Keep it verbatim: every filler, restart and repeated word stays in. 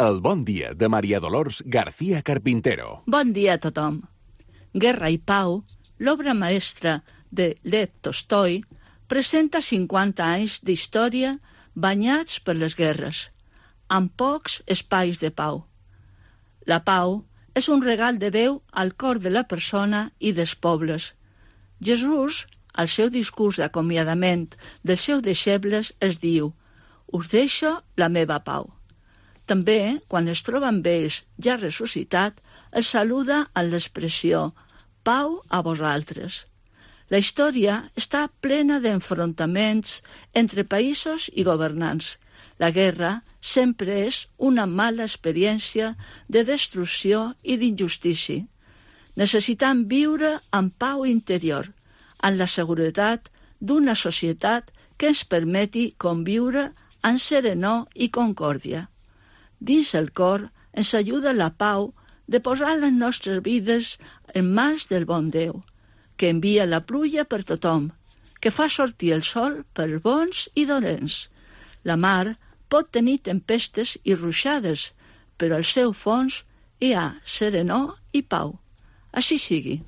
El bon dia de Maria Dolors García Carpintero. Bon dia a tothom. Guerra i Pau, l'obra maestra de Lev Tolstoi, presenta cinquanta anys d'història banyats per les guerres, amb pocs espais de pau. La pau és un regal de Déu al cor de la persona i dels pobles. Jesús, al seu discurs d'acomiadament dels seus deixebles, es diu: «Us deixo la meva pau». També, quan es troba amb ells ja ressuscitat, els saluda amb l'expressió «Pau a vosaltres». La història està plena d'enfrontaments entre països i governants. La guerra sempre és una mala experiència de destrucció i d'injustícia. Necessitem viure amb pau interior, amb la seguretat d'una societat que ens permeti conviure amb serenor i concòrdia. Dins el cor ens ajuda la pau de posar les nostres vides en mans del bon Déu, que envia la pluja per tothom, que fa sortir el sol per bons i dolents. La mar pot tenir tempestes i ruixades, però al seu fons hi ha serenor i pau. Així sigui.